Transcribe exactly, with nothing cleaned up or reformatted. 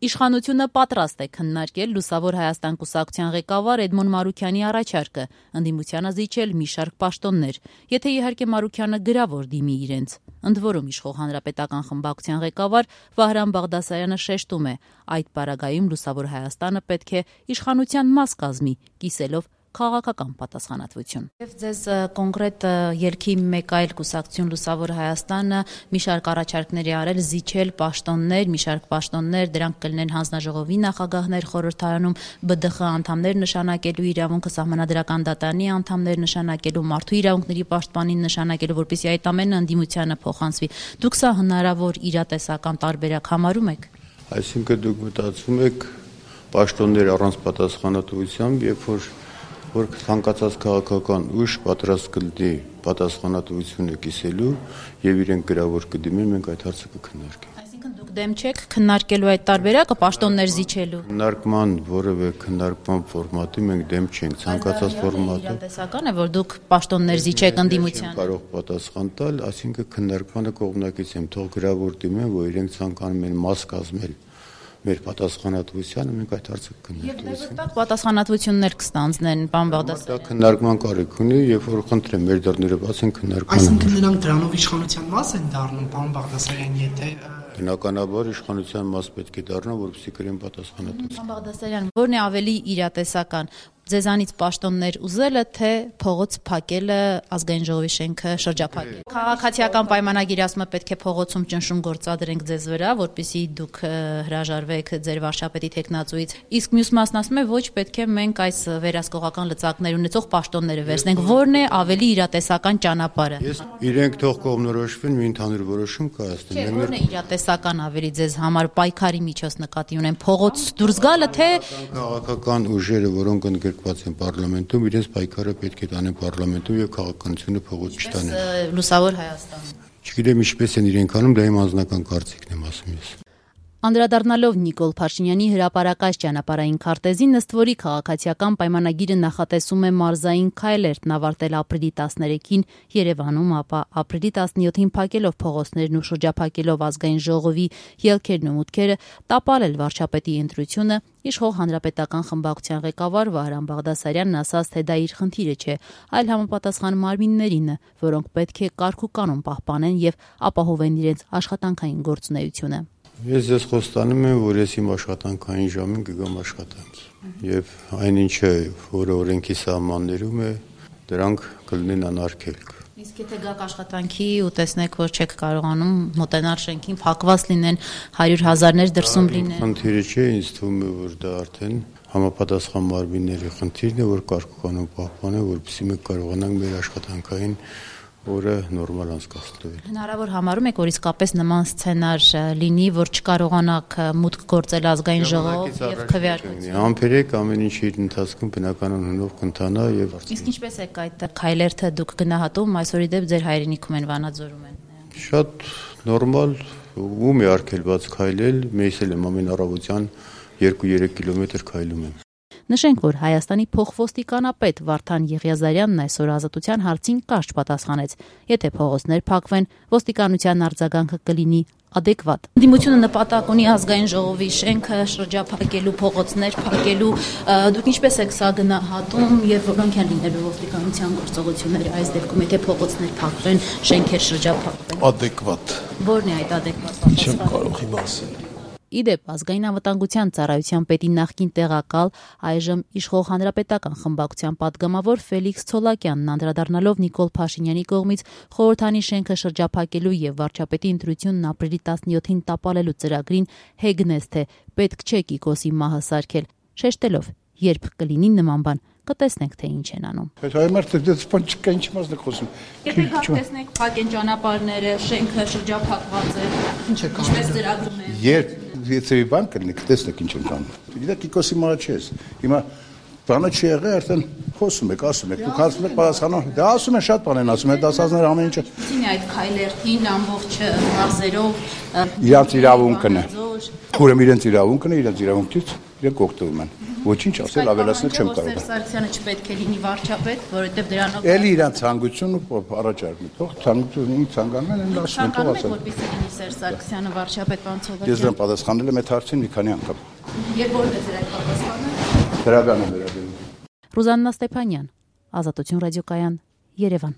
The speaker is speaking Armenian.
Իշխանությունը պատրաստ է քննարկել Լուսավոր Հայաստան կուսակցության ղեկավար Էդմոն Մարուքյանի առաջարկը, ընդդիմությանը զիջել մի շարք պաշտոններ, եթե իհարկե Մարուքյանը գրավոր դիմի իրենց։ Ընդ որում իշխող Հանրապետական խմբակցության ղեկավար Վահրամ Բաղդասարյանը շեշտում է, այդ պարագայում Լուսավոր Հայաստանը պետք է իշխանության մաս կազմի, կիսելով քաղաքական պատասխանատվություն։ Եվ ձեզ կոնկրետ ելքի մեկ այլ կուսակցություն Լուսավոր Հայաստանը մի շարք առաջարկների արել զիջել պաշտոններ, մի շարք պաշտոններ, դրանք կլինեն հանձնաժողովի նախագահներ խորհրդարանում, B D X անդամներ նշանակելու, իրավունքը սահմանադրական դատարանի անդամներ նշանակելու, մարդու իրավունքների պաշտպանին նշանակելու, որպեսզի այդ ամենը ընդդիմությանը փոխանցվի։ Դուք սա հնարավոր իրատեսական տարբերակ համարում եք։ Այսինքն դուք մտածում եք պաշտոններ առանց պատասխանատվությամբ, երբ որ որ ցանկացած քաղաքական ուժ պատրաստ կլինի պատասխանատվությունը կիսելու եւ իրեն գրավոր կդիմեն, մենք այդ հարցը կքննարկենք։ Այսինքն դուք դեմ չեք քննարկելու այդ տարբերակը պաշտոններ զիջելու։ Քննարկման որևէ քննարկման ֆորմատի մենք դեմ չենք, ցանկացած ֆորմատը։ Իրատեսական է, որ դուք պաշտոններ զիջեք ընդդիմությանը։ Կարող պատասխան տալ, այսինքն քննարկմանը կողմնակից եմ, թող գրավոր դիմեն, որ իրենք ցանկանում են մաս կազմել մեր պատասխանատվությանը, մենք այդ հարցը կքննարկենք։ Եվ դեպի պատասխանատվություններ կստանձնեն, պարոն Բաղդասարյան։ Դա քննարկման կարիք ունի, երբ որ խնդրեմ մեր դռները բաց են քննարկման։ Այսինքն նրանք դրանով իշխանության մաս են դառնում, պարոն Բաղդասարյան, եթե Բնականաբար իշխանության մաս պետք է դառնա, որպեսզի կրեն պատասխանատվություն։ Պարոն Բաղդասարյան, ո՞րն է ավելի իրատեսական, ձեզանից պաշտոններ ուզելը, թե փողոց փակելը, ազգային ժողովի շենքը շրջափակել։ Քաղաքացիական պայմանագիր ասում է պետք է փողոցում ճնշում գործադրենք ձեզ վրա, որպեսզի դուք հրաժարվեք ձեր վարչապետի թեկնածուից։ Իսկ մյուս մասն ասում է ոչ, պետք է մենք այս վերահսկողական լծակներ ունեցող պաշտոնները վերցնենք։ Ո՞րն է ավելի իրատեսական ճանապարհը։ Ես իրենք թող կողմնորոշվեն, մի ընդհանուր որոշում կայացնեն։ Ո՞րն է իրատեսական ավելի ձեզ համար պայքարի միջոց նկատի ունեն փողոց դուրս գալը, թե քաղաքական ուժերը, որոնք ընդգրկված են պարլամենտում, իրենց պայքարը պետք է տանեն պարլամենտում եւ քաղաքականությունը փողոց չտանեն։ Լուսավոր Հայաստանում։ Չգիտեմ ինչպես են իրենք անում, դա իմ անձնական կարծիքն եմ ասում ես։ Անդրադառնալով Նիկոլ Փաշինյանի հրապարակած ճանապարհային քարտեզին, ըստ որի քաղաքացիական պայմանագիրը նախատեսում է մարզային քայլերն ավարտել ապրիլի տասներեքին Երևանում, ապա ապրիլի տասնյոթին փակելով փողոցներն ու շրջափակելով ազգային ժողովի ելքերն ու մուտքերը, տապալել վարչապետի ընտրությունը, իշխող Հանրապետական խմբակցության ղեկավար Վահրամ Բաղդասարյանն ասաց, թե դա իր խնդիրը չէ, այլ համապատասխան մարմիններինը, որոնք պետք է կարգ ու կանոն պահպանեն եւ ապահովեն իրենց աշխատանքային գործունեությունը։ Ես ձեզ խոստանում եմ, որ ես իմ աշխատանքային ժամին կգամ աշխատանքի եւ այնինչը, որը օրենքի սահմաններում է, դրանք կլինեն անարգելք։ Իսկ եթե գաք աշխատանքի ու տեսնեք, որ չեք կարողանում մոտենալ շենքին, փակված լինեն, հարյուր հազարներ դրսում լինեն։ Խնդիրը չէ, ինձ թվում է, որ դա արդեն համապատասխան մարմինների խնդիրն է, որ կարգ ու կանոն պահպանեն, որպեսզի մենք կարողանանք մեր աշխատանքային որը նորմալ անցկացնել։ Հնարավոր համարում եք, որ իսկապես նման սցենար լինի, որ չկարողանաք մուտք գործել ազգային ժողով եւ քվեարկություն։ Համբերեք ամեն ինչ իր ընթացքում բնականon հնով կընթանա եւ Իսկ ինչպես եք այդ քայլերթը դուք գնահատում, այսօրի դեպ ձեր հայրենիքում են, Վանաձորում են։ Շատ նորմալ, ում է արգելված քայլել, մեզ էլ եմ ամեն առավոտյան երկու-երեք կիլոմետր քայլում եմ։ Նշենք, որ Հայաստանի փոխոստիկանապետ Վարդան Եղիազարյանն այսօր Ազատության հարցին կարճ պատասխանեց. եթե փողոցներ փակվեն, ոստիկանության արձագանքը կլինի adekvat։ Ընդդիմությունը նպատակ ունի ազգային ժողովի շենքը շրջափակելու, փողոցներ փակելու, դուք ինչպես եք սա գնահատում եւ որոնք են լինելու ոստիկանության գործողությունները այս դեպքում, եթե փողոցներ փակվեն, շենքեր շրջափակվեն։ Adekvat։ Ո՞րն է այդ adekvat պատասխանը։ Չեմ կարող իմ ասել։ Իդեպ ազգային անվտանգության ծառայության պետի նախկին տեղակալ, այժմ իշխող Հանրապետական խմբակցության падգամավոր Ֆելիքս Ցոլակյանն անդրադառնալով Նիկոլ Փաշինյանի կողմից խորհրդանի շենքը շրջափակելու եւ վարչապետի ընտրությունն ապրիլի տասնյոթին տապալելու ծրագրին հեգնեց, թե պետք չէ Կիկոսի մահը սարքել, շեշտելով, երբ կլինի նման բան, կտեսնենք, թե ինչ են անում։ Այդ հայմարտ դες բան չկա, ինչ մասն է խոսում։ Եթե գաք տեսնեք, փակ են ճանապարհները, շենքը շրջափակված է, ինչ է կանում։ ինչպես ծրագրում են։ Երբ եթե մի բան կլինի, կտեսնեք ինչ են կանում։ Գիտեք, Կիկոսի մահը չես։ Հիմա բանը չի եղել, արդեն խոսում եք, ասում եք, դուք ասում եք պատասխանող։ Դա ասում են շատ բան են ասում, այդ ասածները ամեն ինչը։ Ինչ է այդ քայլերթին ամբողջ մարզերով իրանց իրավունքն է։ Ուրեմն իրենց իրավունքն է, իրենց իրավունքից իրենք օգտվում են։ Ոչինչ ասել, ավելացնել չեմ կարող։ Սերժ Սարգսյանը չպետք է լինի վարչապետ, որովհետև դրանով Էլի իրան ցանկություն ու առաջարկում։ Թող ցանկությունը ինձ ցանկանում են, ասում են, թող ասել։ Որպեսզի լինի Սերժ Սարգսյանը վարչապետ, պարոն Ցողակյան։ Ես դրան պատասխանել եմ այդ հարցին մի քանի անգամ։ Եվ որտե՞ղ է այդ պատասխանը։ Դրական է վերաբերվում։ Ռուզաննա Ստեփանյան, Ազատություն ռադիոկայան, Երևան։